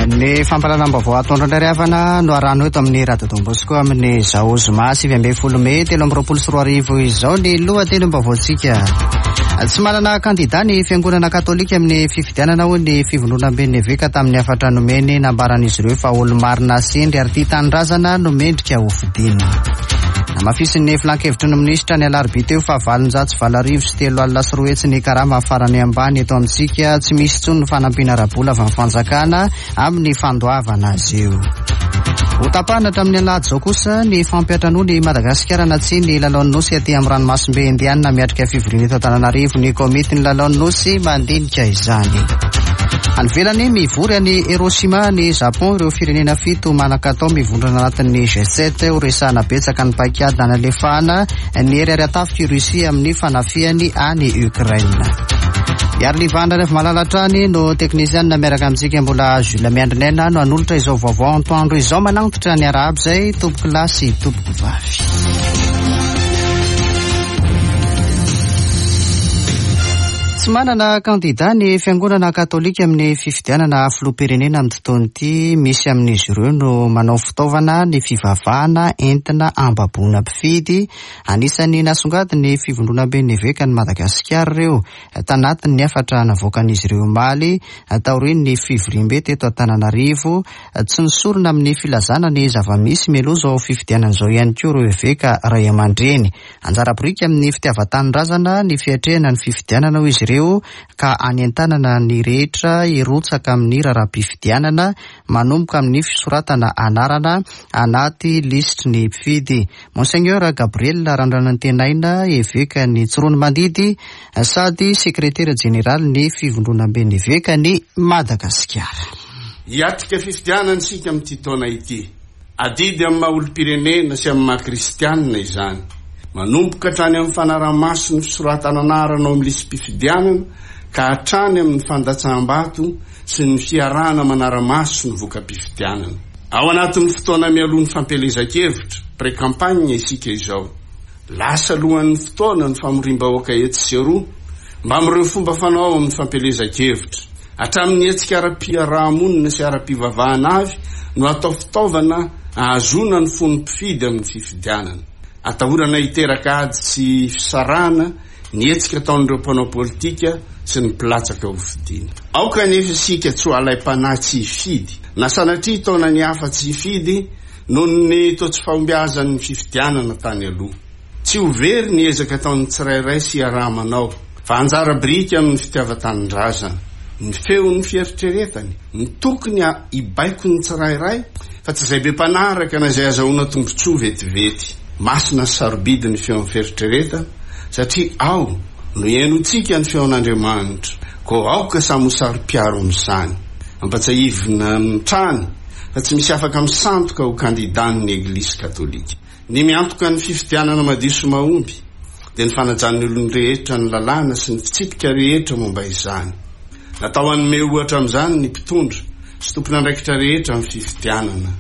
Ny fampahalalam-baovao atoandro indray ry havana no arahana eto amin'ny Radio Don Bosco amin'izao zoma 19 mey 2023 izao ny lohatenim-baovaontsika. Tsy manana kandida ny fiangonana katolika amin'ny fifidianana hoy ny fivondronamben'ny eveka tamin'ny hafatra nomeny nambaran'izy ireo fa olo-marina sy hendry ary tia tanindrazana no mendrika hofidiana. Namafisin'ny filankevitry ny minisitra ny alarobia teo fa 308,300 ny karama farany ambany eto amintsika. Tsy misy intsony ny fanampiana ara-bola avy amin'ny fanjakana amin'ny fandoavana azy io. Ho tapahana hatramin'ny alahady izao kosa ny fampiantranoana i Madagasikara na tsia ny lalaon'ny Nosy aty amin'ny ranomasimbe Indiana. Miatrika fivoriana eto Antananarivo ny komitin'ny lalaon'ny Nosy mandinika izany. Any ivelany, mivory any Hiroshima any Japon ireo firenena fito manan-katao mivondrona anatin'ny G7 ho resahana betsaka ny paikady nanalefahana ny hery ara-tafik'i Russie amin'ny fanafihany any Ukraine. Iarolivana Raivomalala hatrany no teknisianina miaraka amintsika mbola Jules Miandrinaina no hanolotra izao vaovao antoandro izao manantitra ny arahaba izay tompoko lahy sy tompoko vavy. Tsy manana kandida ny fiangonana katolika amin'ny fifidianana filoham-pirenena amin'ity taona ity. Misy amin'izy ireo no manao fitaovana ny fivavahana entina hambaboana mpifidy. Anisan'ny nasongadin'ny Fivondronamben'ny Evekan'i Madagasikara ireo tanatin'ny hafatra navoakan'izy ireo omaly taorian'ny fivoriambe teto Antananarivo. Tsy nisorona amin'ny filazana ny zava-misy mialoha izao fifidianana izao ihany koa ireo eveka ray aman-dreny. Anjara biriky amin'ny fitiavan-tanindrazana ny fiatrehana ny fifidianana hoy izy ireo ka anentanana ny rehetra hirotsaka amin'ny raharaham-pifidianana manomboka amin'ny fisoratana anarana anaty lisitry ny mpifidy. Monseigneur Gabriel Randranantenaina, Evekan'i Tsiroanomandidy sady Sekretera Jeneralin'ny Fivondronamben'ny Evekan'i Madagasikara. Hiatrika fifidianana isika amin'ity taona ity. Adidy amin'ny maha olom-pirenena sy amin'ny maha kristianina izany. Manomboka hatrany amin'ny fanaraha-maso ny fisoratana anarana ao amin'ny lisi-pifidianana ka hatrany amin'ny fandatsaham-bato sy ny fiarahana manara-maso ny voka-pifidianana. Ao anatin'ny fotoana mialoha ny fampielezan-kevitra, pré-campagne, isika izao. Lasa alohan'ny fotoana ny famoriam-bahoaka etsy sy eroa, mbamin'ireo fomba fanao amin'ny fampielezan-kevitra. Hatramin'ny hetsika ara-piaraha-monina sy ara-pivavahana avy no atao fitaovana ahazoana ny fon'ny mpifidy amin'ny fifidianana. Atahorana hiteraka ady sy fisarahana ny hetsika ataon'ireo mpanao politika sy ny mpilatsaka ho fidiana. Aoka anefa isika tsy ho alaim-panahy tsy hifidy, na sanatria hitaona ny hafa tsy hifidy noho ny toa tsy fahombiazan'ny fifidianana tany aloha. Tsy ho very ny ezaka ataon'ny tsirairay sy iaraha-manao, fa anjara biriky amin'ny fitiavan-tanindrazana, ny feon'ny fieritreretany, ny tokony hibaiko ny tsirairay, fa tsy izay be mpanaraka na izay azahoana tombontsoa vetivety. Masina sy sarobidy ny feon'ny fieritreretana, satria ao no ihainoantsika ny feon'Andriamanitra, koa aoka samy ho saro-piaro amin'izany. Ampatsiahivina hatrany fa tsy misy afaka misandoka ho kandidàn'ny Eglisy Katolika. Ny miantoka ny fifidianana madio sy mahomby dia ny fanajan'ny olon-drehetra ny lalàna sy ny fitsipika rehetra momba izany. Natao hanome ohatra amin'izany ny mpitondra sy tompon'andraikitra rehetra amin'ny fifidianana.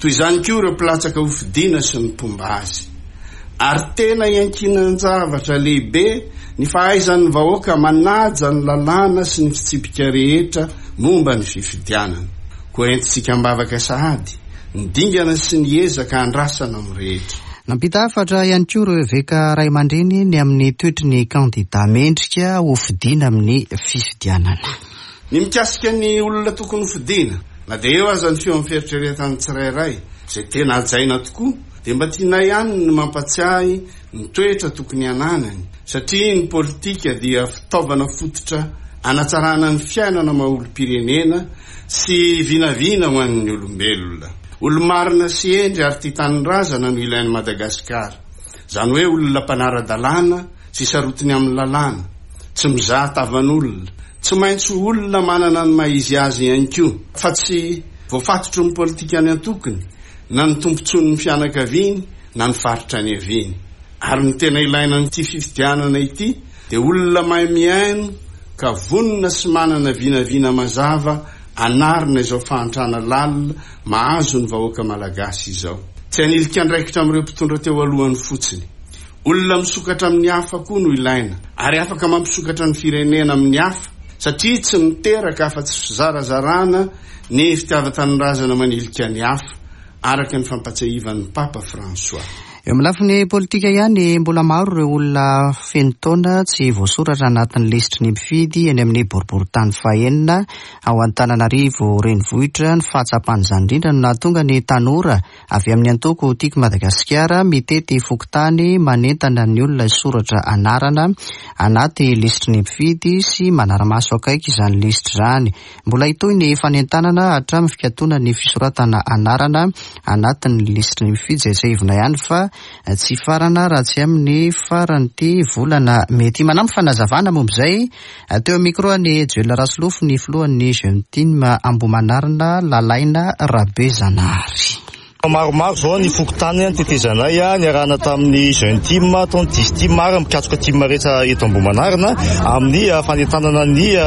Toy izany koa ireo mpilatsaka hofidiana sy ny mpomba azy. Ary tena iankinan-javatra lehibe ny fahaizan'ny vahoaka manaja ny lalàna sy ny fitsipika rehetra momba ny fifidianana. Koa entintsika am-bavaka sahady ny dingana sy ny ezaka andrasana amin'ny rehetra. Nampita hafatra ihany koa ireo eveka ray aman-dreny ny amin'ny toetry ny kandida mendrika hofidiana amin'ny fifidianana. Ny mikasika ny olona tokony hofidiana, na dia eo aza ny feon'ny fieritreretan'ny tsirairay, izay tena hajaina tokoa, dia mba tianay ihany ny mampatsiahy ny toetra tokony hananany, satria ny politika dia fitaovana fototra hanatsarana ny fiainana maha olom-pirenena sy vinavina ho an'ny olombelona. Olo-marina sy hendry ary tia tanindrazana no ilain'i Madagasikara. Izany hoe olona mpanara-dalàna sy sarotiny amin'ny lalàna, tsy mizaha tavan'olona. Tsy maintsy ho olona manana ny maha izy azy ihany koa, fa tsy voafatotry ny politikan'ny antokony na ny tombontsoan'ny fianakaviany na ny faritra niaviany. Ary ny tena ilaina amin'ity fifidianana ity dia olona mahay mihaino ka vonona sy manana vinavina mazava hanarina izao fahantrana lalina mahazo ny vahoaka malagasy izao. Tsy hanilika andraikitra amin'ireo mpitondra teo alohany fotsiny. Olona misokatra amin'ny hafa koa no ilaina ary afaka mampisokatra ny firenena amin'ny hafa. satria tsy miteraka afa-tsy fizarazarana ny fitiavan-tanindrazana manilika ny hafa, araka ny fampatsiahivan'ny Papa François. Eo amin'ny lafiny politika ihany, mbola maro ireo olona feno taona tsy voasoratra anatin'ny lisitry ny mpifidy eny amin'ny boriborintany fahenina ao Antananarivo renivohitra. Ny fahatsapana izany indrindra no nahatonga ny tanora avy amin'ny antoko Tiako Madagasikara mitety fokontany manentana ny olona hisoratra anarana anaty lisitry ny mpifidy sy manara-maso akaiky izany lisitra izany. Mbola hitohy ny fanentanana hatramin'ny fikatonan'ny fisoratana anarana anatin'ny lisitry ny mpifidy izay tsiahivina ihany fa tsy hifarana raha tsy amin'ny faran'ity volana mey ity. Manampy fanazavana momba izay teo amin'ny micro an'i Joel Rasolofo ny filohan'ny Jeune Team Ambohimanarina, Lalaina Rabezanahary. Maromaro izao ny fokontany nitetezanay niarahana tamin'ny Jeune Team, tao ny Dix Team ary mikatroka team rehetra eto Ambohimanarina amin'ny fanentanana ny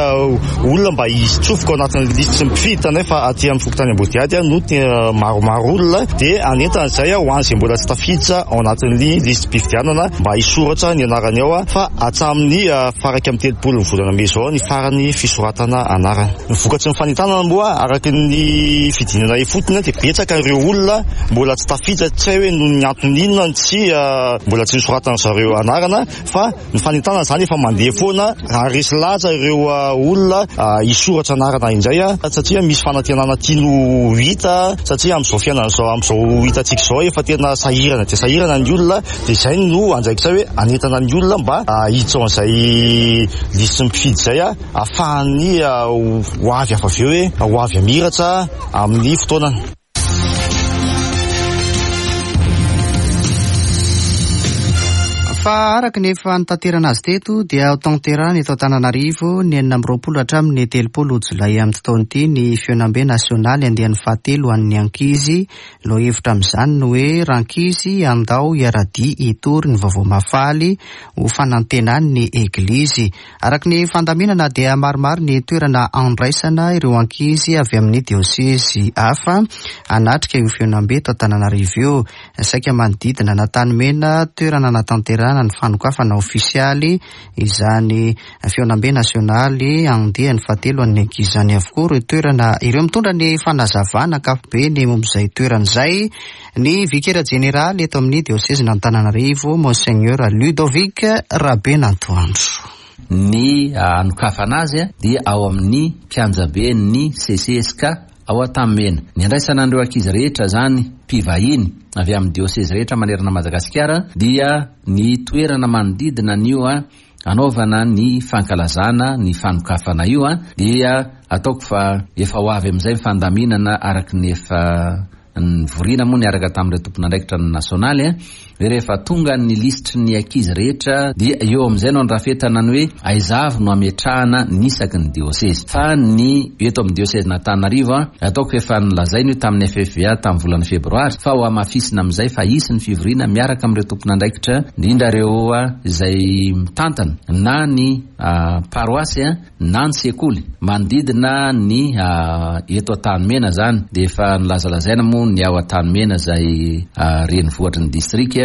olona mba hitsofoka ao anatin'ny lisitry ny mpifidy. Hitanay fa aty amin'ny fokontany Ambodihady no tena maromaro olona dia hanentana izay ho an'izay mbola tsy tafiditra ao anatin'ny lisi-pifidianana mba hisoratra ny anarany ao fa hatramin'ny faha 31 ny volana mey izao ny farany fisoratana anarana. Ny vokatry ny fanentanana moa araka ny fidinana ifotony dia betsaka ireo olona mbola tsy tafiditra, tsy hay hoe noho ny antony inona no tsy mbola tsy nosoratan'ny zareo anarana fa ny fanentanana izany efa mandeha foana ary resy lahatra ireo olona hisoratra anarana indray satria misy fanantenana tiany ho hita satria amin'izao fiainana izao, amin'izao hitantsika izao efa tena sahirana dia sahirana ny olona dia izay no andraikitra hoe hanentana ny olona mba hiditra ao amin'izay lisitry ny mpifidy izay. Ahafahan'ny ho avy hafa avy eo hoe ho avy hamiratra amin'ny fotoanany. Fa araka ny efa nitaterana azy teto dia ho tanterahina eto Antananarivo ny 26 hatramin'ny 30 jolay amin'ity taona ity ny fihaonambe nasionaly andiany fahatelo ho an'ny ankizy. Lohahevitra amin'izany ny hoe Rankizy andao hiara-dia hitory ny vaovao mahafaly ho fanantenan'ny Eglizy. Araka ny fandaminana dia maromaro ny toerana andraisana ireo ankizy avy amin'ny diosezy hafa hanatrika io fihaonambe eto Antananarivo io. Saika manodidina an'Antanimena, toerana hanatanterahana ny fanokafana ofisialy izany fihaonambe nasionaly andiany fahatelo an'ny ankizy izany avokoa ireo toerana ireo. Mitondra ny fanazavana ankapobeny momba izay toerana izay ny vikera jeneraly eto amin'ny diosezin'Antananarivo, Monseigneur Ludovic Rabenantoandro. Ny hanokafana azy dia ao amin'ny kianjaben'ny CCSK ao Antanimena. Ny handraisana an'ireo ankizy rehetra izany, mpivahiny avy amin'ny diosezy rehetra manerana an'i Madagasikara, dia ny toerana manodidina an'io hanaovana ny fankalazana ny fanokafana io dia ataoko fa efa ho avy amin'izay ny fandaminana araka ny efa nivoriana moa niaraka tamin'ireo tompon'andraikitra ny nasionaly hoe rehefa tonga ny lisitry ny ankizy rehetra dia eo amin'izay no andrafetana ny hoe aiza avy no ametrahana ny isaky ny diosezy fa ny eto amin'ny diosezin'Antananarivo ataoko efa nolazaina io tamin'ny FFVA tamin'ny volana febroary fa ho hamafisina amin'izay fa hisy ny fivoriana miaraka amin'ireo tompon'andraikitra indrindra ireo izay mitantana na ny paroasy na ny sekoly manodidina ny eto Antanimena izany dia efa nolazalazaina moa ny ao Antanimena izay renivohitry ny distrika,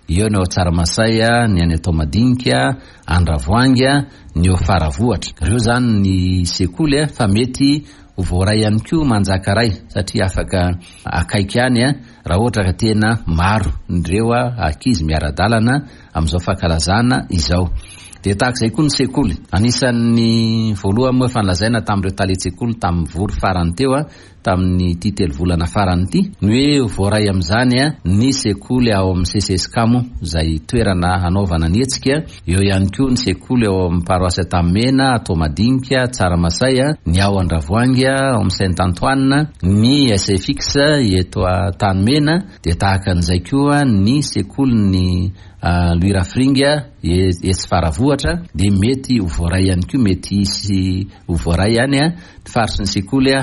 eo ny ao Tsaramasay, ny any Antoamadinika, Andravoahangy, ny eo Faravohitra. Ireo izany ny sekoly fa mety ho voaray ihany koa Manjakaray satria afaka akaiky ihany raha ohatra ka tena maro ireo ankizy miara-dalana amin'izao fankalazana izao. Dia tahaka izay koa ny sekoly. Anisan'ny voalohany moa efa nolazaina tamin'ireo talen-tsekoly tamin'ny vory farany teo tamin'ity telovolana farany ity ny hoe ho voaray amin'izany ny sekoly ao amin'ny CCSCAMO izay toerana hanaovana ny hetsika. Eo ihany koa ny sekoly ao amin'ny paroasy Antanimena, Toamadinika, Tsaramasay, ny ao Andravoahangy, ao amin'ny Saint Antoine, ny SFX eto Antanimena, dia tahaka an'izay koa ny sekolin'ny Louis Rafiringa etsy Faravohitra dia mety ho voaray ihany koa, mety hisy ho voaray any ny faritry ny sekoly.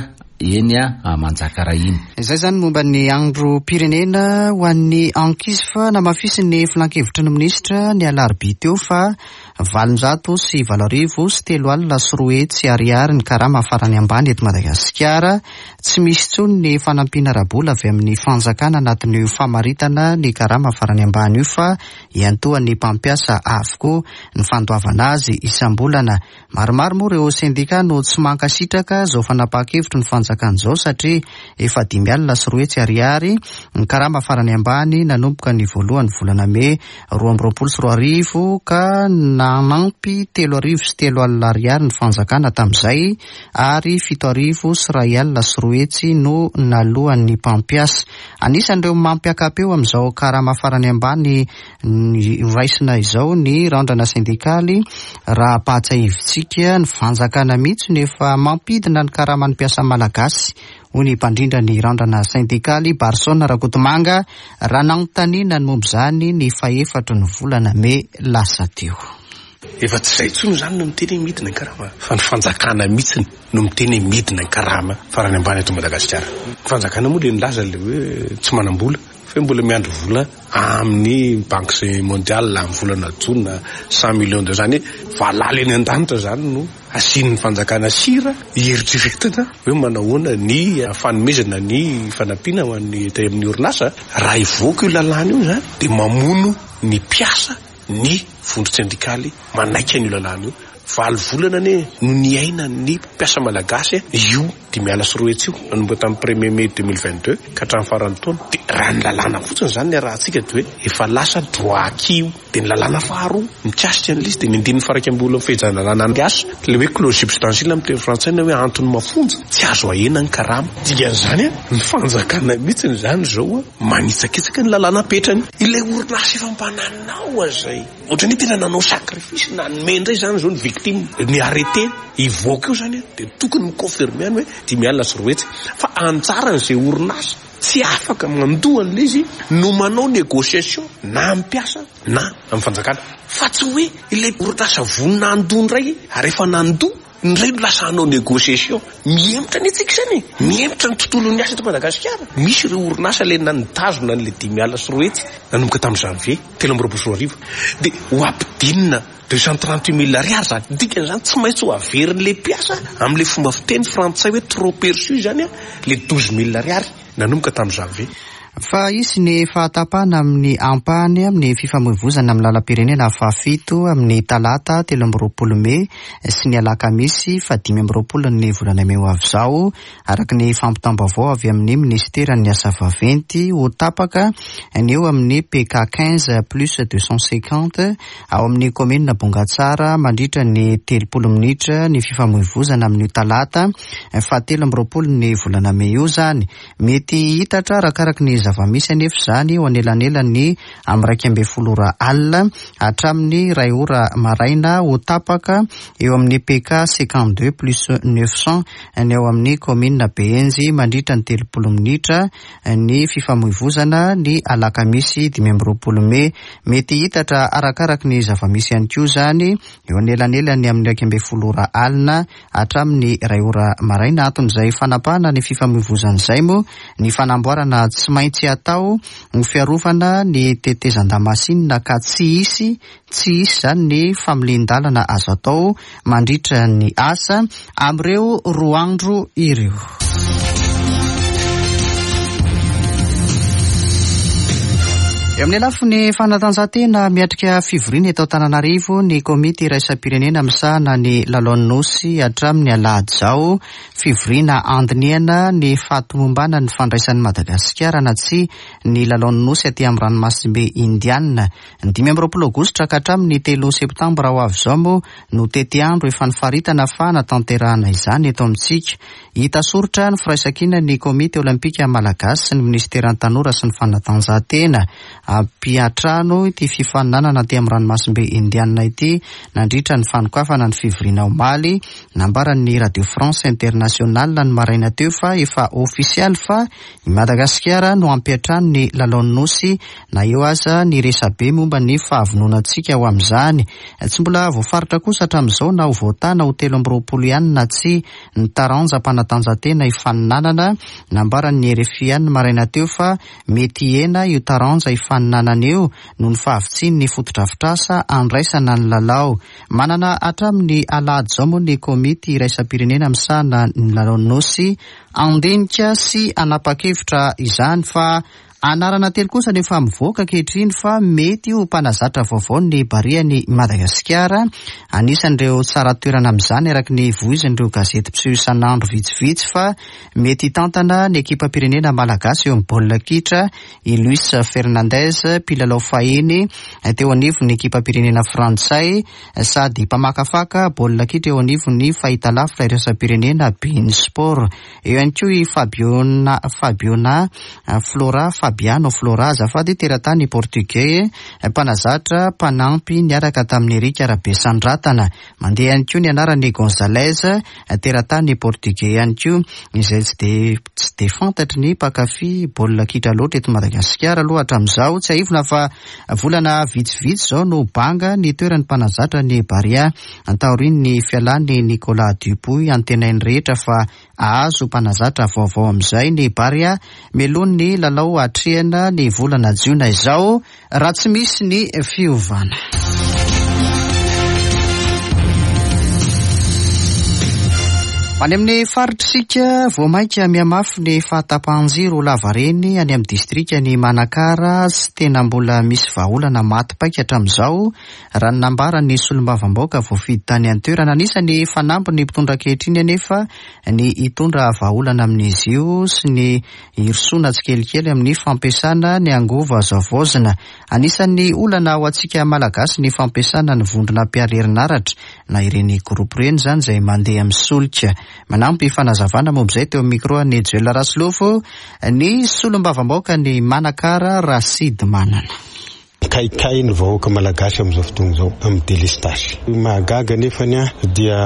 eny Manjakaray iny. Izay izany momba ny androm-pirenena ho an'ny ankizy fa namafisin'ny filankevitry ny minisitra ny alarobia teo fa 2800 ariary ny karama farany ambany eto Madagasikara. Tsy misy intsony ny fanampiana ara-bola avy amin'ny fanjakana anatin'io famaritana ny karama farany ambany io fa iantohan'ny mpampiasa avokoa ny fandoavana azy isam-bolana. Maromaro moa ireo sendika no tsy mankasitraka izao fanapahan-kevitry ny fanjakana izao satria efa 205 ariary ny karama farany ambany nanomboka ny voalohan'ny volana mey 2022 ka nanampy 3003 ariary ny fanjakana tamin'izay ary 2101 no naloan'ny mpampiasa. Anisan'ireo mampiaka-peo amin'izao karama farany ambany Noraisina izao ny randrana sendikaly raha ampahatsiahivintsika ny fanjakana mihitsy no efa mampidina ny karaman'ny mpiasa malagasy, hoy ny mpandrindra ny randrana sendikaly Barson Rakotomanga raha nanontaniana ny momba izany ny fahefatry ny volana mey lasa teo. Efa tsy izay intsony izany no miteny hoe midina ny karama fa ny fanjakana mihitsy no miteny hoe midina ny karama farany ambany eto Madagasikara. Ny fanjakana moa ilay nilaza ilay hoe tsy manam-bola. Fa mbola miandry vola amin'ny banque mondiale amin'ny volana jona 100 millions de zany hoe valala eny an-danitra zany no asian'ny fanjakana sira hieritreretina hoe manahoana ny fanomezana ny fanampiana ho an'ny tany amin'ny orinasa. Raha hivoaka io lalàna io zany dia mamono ny mpiasa ny vondron-tsendikaly manaiky an'io lalàna io. Valo volana anie no niainan'ny mpiasa malagasy io 205 io, nanomboka tamin'ny premier mai 2022 ka hatramin'ny faran'ny taona. Dia raha ny lalàna fotsiny izany ny arahantsika dia hoe efa lasa droit acquis io. Dia ny lalàna faharoa mikasika an'ilay izy dia ny andininy faha-iraika amin'ny fehezan-dalàna ny asa, ilay hoe clause substantielle amin'ny teny frantsay na hoe antony mafonja, tsy azo ahena ny karama. Dikan'izany, ny fanjakana mihitsy izany izao manitsakitsaka ny lalàna apetrany. Ilay orinasa efa mba nanao an'izay. Ohatran'ny hoe tena nanao sacrifice nanome indray izany izao ny victime. Ny arrêté hivoaka eo izany dia tokony mi-confirmer any hoe 205. Fa anjaran'izay orinasa tsy afaka mandoa an'ilay izy no manao négociation na amin'ny mpiasa na amin'ny fanjakana. Fa tsy hoe ilay orinasa vonona handoa indray ary efa nandoa Indray no lasa hanao négociation. Mihemotra anie tsika izany e! Mihemotra ny tontolon'ny asa eto Madagasikara. Misy ireo orinasa ilay nitazona an'ilay 205 nanomboka tamin'ny janvier 2023. Dia ho ampidinina 238 mille ariary izany. Dikan'izany tsy maintsy ho averin'ilay mpiasa amin'ilay fomba fiteny frantsay hoe trop perçu izany ilay 12 mille ariary nanomboka tamin'ny janvier. Fa hisy ny fahatapahana amin'ny ampahany amin'ny fifamoivozana amin'ny lalam-pirenena fahafito amin'ny talata 23 mey sy ny alakamisy faha-25 ny volana mey ho avy izao, araka ny fampitam-baovao avy amin'ny minisiteran'ny asa vaventy. Ho tapaka ny eo amin'ny PK 15 plus 250 ao amin'ny kaominina Bongatsara mandritra ny 30 minitra ny fifamoivozana amin'io talata faha-23 ny volana mey io izany. Mety hihitatra arakaraky ny zava-misy anefa izany eo anelanelan'ny amin'ny 11 ora alina hatramin'ny iray ora maraina ho tapaka eo amin'ny PK 52 plus 900 ny ao amin'ny kaominina Behenjy mandritra ny 30 minitra ny fifamoivozana ny alakamisy 25 mey. Mety hihitatra arakaraky ny zava-misy ihany koa izany eo anelanelan'ny amin'ny 11 ora alina hatramin'ny iray ora maraina. Anton'izay fanapahana ny fifamoivozana izay moa ny fanamboarana tsy maintsy atao ho fiarovana ny tetezan-damasinina ka tsy hisy tsy hisy izany ny familian-dalana azo atao mandritra ny asa amin'ireo roa andro ireo. Eo amin'ny lafiny fanatanjahantena, miatrika fivoriana eto Antananarivo ny komity iraisam-pirenena misahana ny lalaon'ny Nosy hatramin'ny alahady izao. Fivoriana handinihana ny fahatomombanan'ny fandraisan'i Madagasikara na tsia ny lalaon'ny Nosy aty amin'ny ranomasimbe Indiana. Ny 25 aogositra ka hatramin'ny 3 septambra ho avy izao moa no tetiandro efa nifaritana fa hanatanterahana izany eto amintsika. Hita soritra ny firaisankinan'ny Komity Olympika Malagasy sy ny Minisiteran'ny Tanora sy ny Fanatanjahantena. hampiantrano ity fifaninanana aty amin'ny ranomasimbe Indianina ity nandritra ny fanokafana ny fivoriana omaly. Nambaran'ny Radio France Internationale ny maraina teo fa efa ofisialy fa i Madagasikara no hampiantrano ny lalaon'ny Nosy na eo aza ny resabe momba ny fahavononantsika ho amin'izany. Tsy mbola voafaritra kosa hatramin'izao na ho voatana ho 23 ihany na tsia ny taranjam-panatanjahantena hifaninanana. Nambaran'ny RFI ihany ny maraina teo fa mety hihena io taranja hifaninanana io noho ny fahavitsian'ny fotodrafitrasa handraisana ny lalao. Manana hatramin'ny alahady izao moa ny komity iraisam-pirenena misahana ny lalaon'ny Nosy handinika sy hanapa-kevitra izany fa Anarana telo kosa no efa mivoaka ankehitriny fa mety ho mpanazatra vaovao ny Barean'i Madagasikara. Anisan'ireo tsara toerana amin'izany araka ny voizin'ireo gazety mpiseho isan'andro vitsivitsy fa mety hitantana ny ekipam-pirenena malagasy eo amin'ny baolina kitra i Luis Fernandez, mpilalao fahiny teo anivon'ny ekipam-pirenena frantsay sady mpamakafaka baolina kitra eo anivon'ny fahitalavitra iraisam-pirenena beIn Sport. Eo ihany koa i Fabiona Fabiona Flora Fabiano Flora azafady, teratany portugais, mpanazatra mpanampy niaraka tamin'i Eric Rabesandratana. Mandeha ihany koa ny anaran'i Gonzalez, teratany portugais ihany koa, izay tsy dia tsy dia fantatry ny mpankafy baolina kitra loatra eto Madagasikara aloha hatramin'izao. Tsiahivina fa volana vitsivitsy izao no banga ny toeran'ny mpanazatra ny Barea taorian'ny fialan'i Nicolas Dupuis. Antenain'ny rehetra fa hahazo mpanazatra vaovao amin'izay ny Barea mialoha ny lalao hatrehina ny volana jiona izao raha tsy misy ny fiovana. Any amin'ny faritra isika, vao mainka mihamafy ny fahatapahan-jiro lavareny any amin'ny distrikan'i Manakara sy tena mbola misy vahaolana maty paika hatramin'izao raha ny nambaran'ny solombavambahoaka voafidy tany an-toerana. Anisan'ny fanambin'ny mpitondra ankehitriny anefa ny hitondra vahaolana amin'izy io sy ny hirosoana tsikelikely amin'ny fampiasana ny angovo azo havaozina. Anisan'ny olana ho antsika Malagasy ny fampiasana ny vondrona mpiaro herinaratra na ireny groupe ireny izany izay mandeha amin'ny solika. Manampy fanazavana momba izay teo amin'ny micro an'i Joel Rasolofo ny solombavambahoakan'i Manakara Rasidimanana. Mikaikay ny vahoaka malagasy amin'izao fotoana izao amin'ny delestazy. Ny mahagaga anefany dia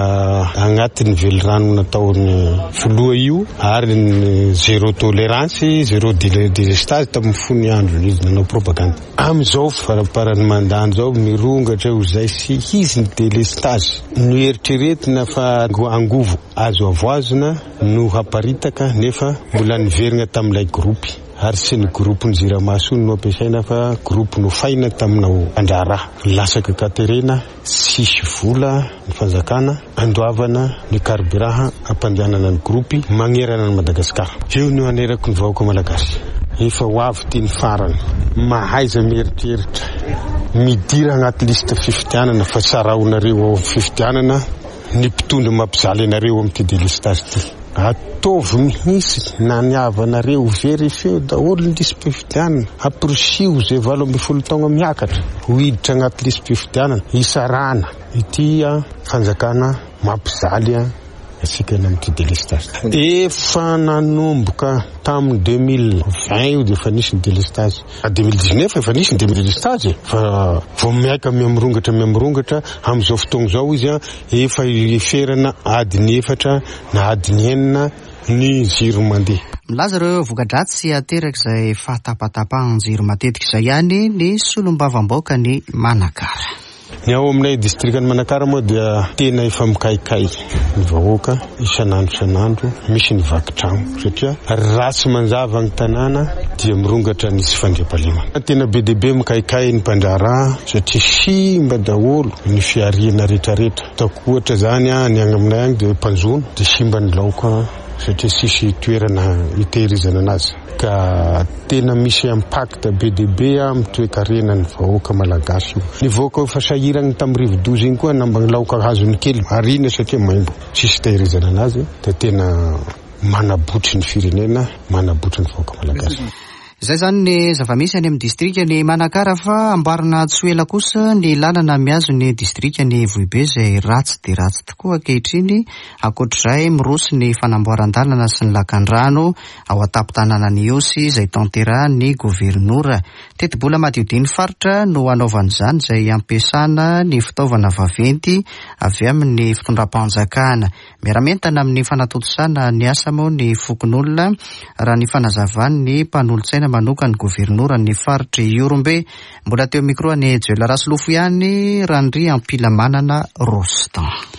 agnatin'ny velirano nataon'ny filoha io ary ny zéro tolerance, zéro delestazy tamin'ny fony androny izy nanao propagande. Amin'izao faramparan'ny mandat izao mirongatra io izay sy hisy ny delestazy. Noeritreretina fa angovo azo avoazina no haparitaka nefa mbola niverina tamin'ilay gropy. Ary tsy ny groupe ny jirama tsony no ampiasaina fa groupe nofaina tamina mpandraharaha. Latsaka katerena, tsisy vola ny fanjakana andoavana ny carburant hampandehanana ny groupe magnerana an'i Madagascar. Eo no anerako ny vahoaka malagasy. Efa ho avy ity ny farany. Mahaiza mieritreritra. Midira agnaty liste fifidianana fa tsaraonareo ao amin'ny fifidianana ny mpitondra mampijaly anareo amin'ity delestage ity. Ataovy mihitsy na ny havanareo, verifieo daholo ny lisi-pifidianana, amporisiho izay 18 taogna miakatra ho hiditra agnaty lisi-pifidianana, hisarahana ity fanjakana mampijaly antsika eny amin'ity delestage. Efa nanomboka tamin'ny 2020 io dia efa nisy ny delestage, 2019 efa nisy ny delestage fa vao mihaika mihamirongatra mihamirongatra amin'izao fotoagna izao izy. Efa iferana adiny efatra na adiny enina ny jiro mandeha. Milaza ireo voka-dratsy aterak'izay fahatapatapahan-jiro matetika izay ihany ny solombavambaokan'i Manakara. Ny ao aminay distrikan'i Manakara moa dia tena efa mikaikay ny vahoaka isan'andro isan'andro misy ny vaky trano satria raha tsy manjava ny tanàna dia mirongatra ny tsy fandriampahalemana. Tena be dia be mikaikay ny mpandraharaha satria simba daholo Ny fihariana retraretra. Ataoko ohatra zany an, ny any aminay any dia mpanjono dia simba ny laoka satria tsisy toerana hitehirizana anazy. Ka tena misy impact be dia be amin'ny toekarenan'ny vahoaka malagasy io. Ny vahoaka efa sahiragny tamin'ny rivodoza iny koa namba ny laoka azony kely ariana satria maimbo tsisy hitehirizana anazy dia tena manabotry ny firenena, manabotry ny vahoaka malagasy. Izay izany ny zava-misy any amin'ny distrikan'i Manakara fa amboarina tsy ho ela kosa ny lalana mihazo ny distrikan'i Vohibe izay ratsy dia ratsy tokoa ankehitriny. Ankoatr'izay, miroso ny fanamboaran-dalana sy ny lakandrano ao an-tampon-tanànan'i Ihosy izay tanterahin'ny governora. Tetibola madiodin'ny faritra no hanaovana izany izay ampiasana ny fitaovana vaventy avy amin'ny fitondram-panjakana. Miara-mientana amin'ny fanatontosana ny asa moa ny fokonolona, raha ny fanazavan'ny mpanolotsaina manokan'ny governoran'ny faritr'i Ihorombe. Mbola teo micro an'i Joel Rasolofo ihany Randriampilamanana Rostand.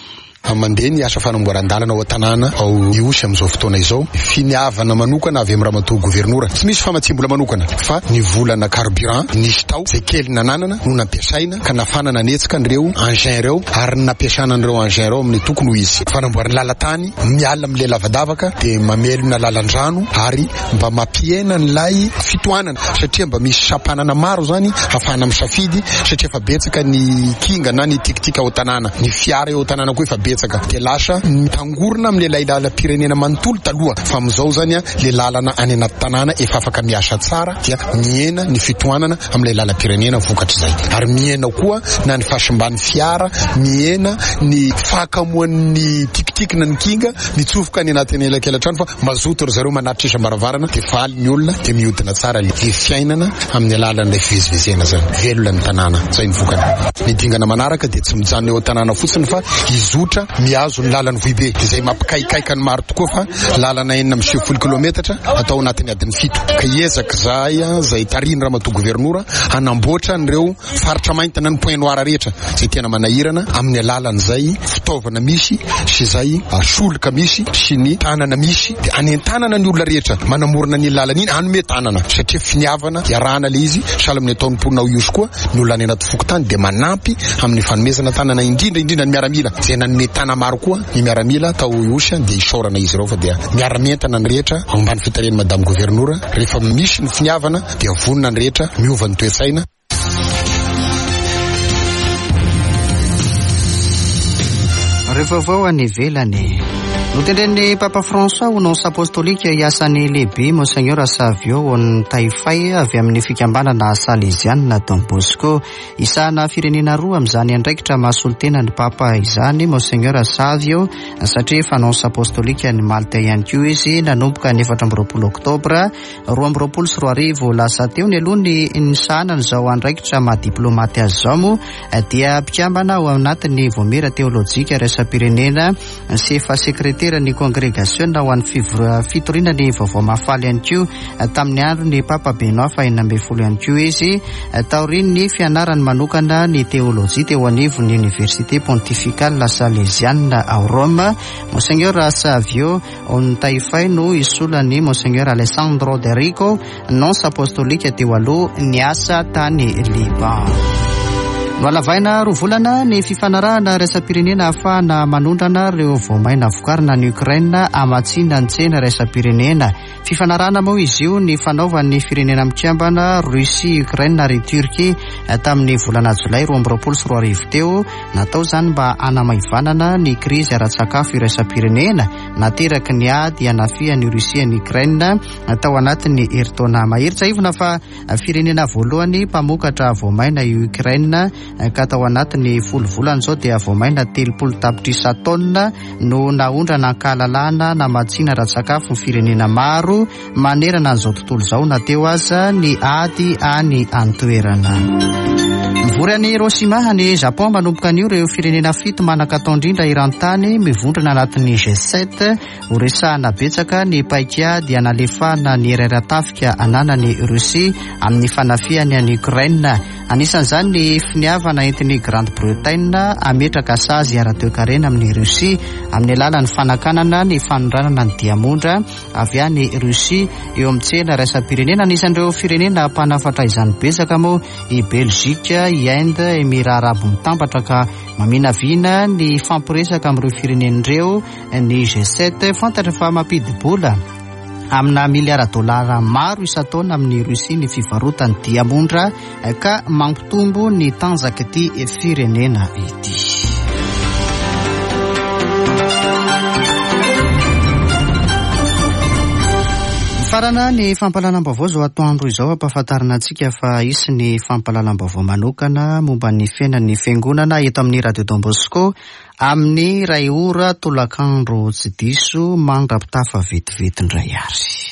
Mandeha ny asa fanamboaran-dalana ao an-tanàna ao Ihosy amin'izao fotoana izao. Finiavana manokana avy amin'ny Ramatoa Governora. Tsy misy famatsiam-bola manokana fa ny volana carburant nisy tao izay kely nananana no nampiasaina. ka nafana nanetsika an'ireo engins ireo ary ny nampiasana an'ireo engins ireo amin'ny tokony ho izy. Fanamboarana lalan-tany miala amin'ilay lavadavaka dia mamelona lalan-drano ary mba mampihena an'ilay fitohanana satria mba misy sampanana maro izany hafahana misafidy satria efa betsaka ny kinga na ny tikitika ao an-tanàna, ny fiara eo an-tanàna koa efa betsaka dia lasa mitangorona amin'ilay lalam-pirenena manontolo taloha fa amin'izao izany ilay lalana any anaty tanàna efa afaka miasa tsara dia mihena ny fitohanana amin'ilay lalam-pirenena vokatr'izay ary mihena koa na ny fahasimban'ny fiara, mihena ny fahakamoan'ny tikitiky na ny kinga mitsofoka any anatin'ny elakelan-trano fa mazoto ry zareo manatitra isam-baravarana dia faly ny olona dia mihodina tsara ilay fiainana amin'ny alalan'ilay fivezivezena izany. Velona ny tanàna, izay ny vokany. Ny dingana manaraka dia tsy mijanona eo an-tanàna fotsiny fa hizotra mihazo ny lalan'i Vohibe izay mampikaikaika ny maro tokoa fa Lalana 96 kilometatra atao anatin'ny adiny fito. Ka hiezaka izahay izay tarihin'ny Ramatoa Governora hanamboatra an'ireo faritra mainty na ny point noir rehetra izay tena manahirana amin'ny alalan'izay fitaovana misy sy izay solika misy sy ny tanana misy dia hanentanana ny olona rehetra manamorona an'iny lalana iny hanome tanana satria finiavana iarahana ilay izy sahala amin'ny ataon'ny mponina ao Ihosy koa ny olona any anaty fokontany dia manampy amin'ny fanomezana tanana indrindra indrindra ny miaramila izay nanome tana maro koa Ny miaramila tao Ihosy dia isaorana izy ireo fa dia miara-mientana ny rehetra ao ambany fitarihan'i Madame Governora. Rehefa misy ny finiavana dia vonona ny rehetra, miova ny toe-tsaina. Ireo vaovao any ivelany. Notendren'ny Papa François ho nonce apostolika hiasa any Libye Monseigneur Savio Ontaifay avy amin'ny fikambanana Salesianina Don Bosco. Isahana firenena roa amin'izany andraikitra maha solontena ny Papa izany Monseigneur Savio satria efa nonce apostolika any Malte ihany koa izy nanomboka ny 24 oktobra 2022 lasa teo. Nialoha ny nisahanany izao andraikitra maha diplaomaty azy izao moa dia mpikambana ao anatin'ny Vaomiera Teolojika Iraisam-pirenena sy efa sekreteran'ny kongregasiona ho an'ny fitoriana ny vaovao mahafaly ihany koa tamin'ny andron'ny Papa Benoît faha-16 ihany koa izy taorian'ny fianarany manokana ny teolojia teo anivon'ny Université Pontificale Salesiana ao Roma. Monseigneur Savio Ontaifay no hisolo an'i Monseigneur Alessandro D'Errico Nonce apostolika teo aloha niasa tany Liban. Nohalavaina roa volana ny fifanarahana iraisam-pirenena ahafahana manondrana ireo voamaina vokarina any Ukraine hamatsiana ny tsena iraisam-pirenena. Fifanarahana moa izy io ny fanaovan'ny firenena mikambana Russie, Ukraine ary Turquie tamin'ny volana jolay 2022 teo. Natao izany mba hanamaivanana ny krizy ara-tsakafo iraisam-pirenena nateraky ny ady hanafihan'i Russie an'i Ukraine tao anatin'ny herintaona mahery. Tsiahivina fa firenena voalohany mpamokatra voamaina i Ukraine ka tao anatin'ny folo volana izao dia voamaina 30 tapitrisa taonina no naondrana an-kahalalahana namatsiana ara-tsakafo ny firenena maro manerana an'izao tontolo izao na teo aza ny ady any an-toerana. Mivory any Hiroshima any Japon manomboka anio ireo firenena fito manan-katao indrindra eran-tany mivondrona anatin'ny G7. Ho resahana betsaka ny paikady hanalefahana ny hery ara-tafika ananan'i Russie amin'ny fanafihany an'i Ukraine. Anisan'izany ny finiavana entin'i Grande-Bretagne hametraka sazy ara-toekarena amin'i Russie amin'ny alalan'ny fanakanana ny fanondranana ny diamondra avy any Russie eo amin'ny tsena iraisam-pirenena. Anisan'ireo firenena mpanafatra izany betsaka moa i Belgique, i Inde, Emirats Arabo Mitambatra ka maminavina ny hifampiresaka amin'ireo firenena ireo Ny G7 fantatra fa mampidi-bola amina miliara dolara maro isan-taona amin'i Russie ny fivarotany diamondra ka mampitombo ny tanjak'ity firenena ity. Mifarana ny fampahalalam-baovao izao atoandro izao ampahafantarina antsika fa hisy ny fampahalalam-baovao manokana momba ny fiainan'ny fiangonana eto amin'ny Radio Don Bosco amin'ny iray ora tolakandro tsy diso mandra-pitafa vetivety indray ary.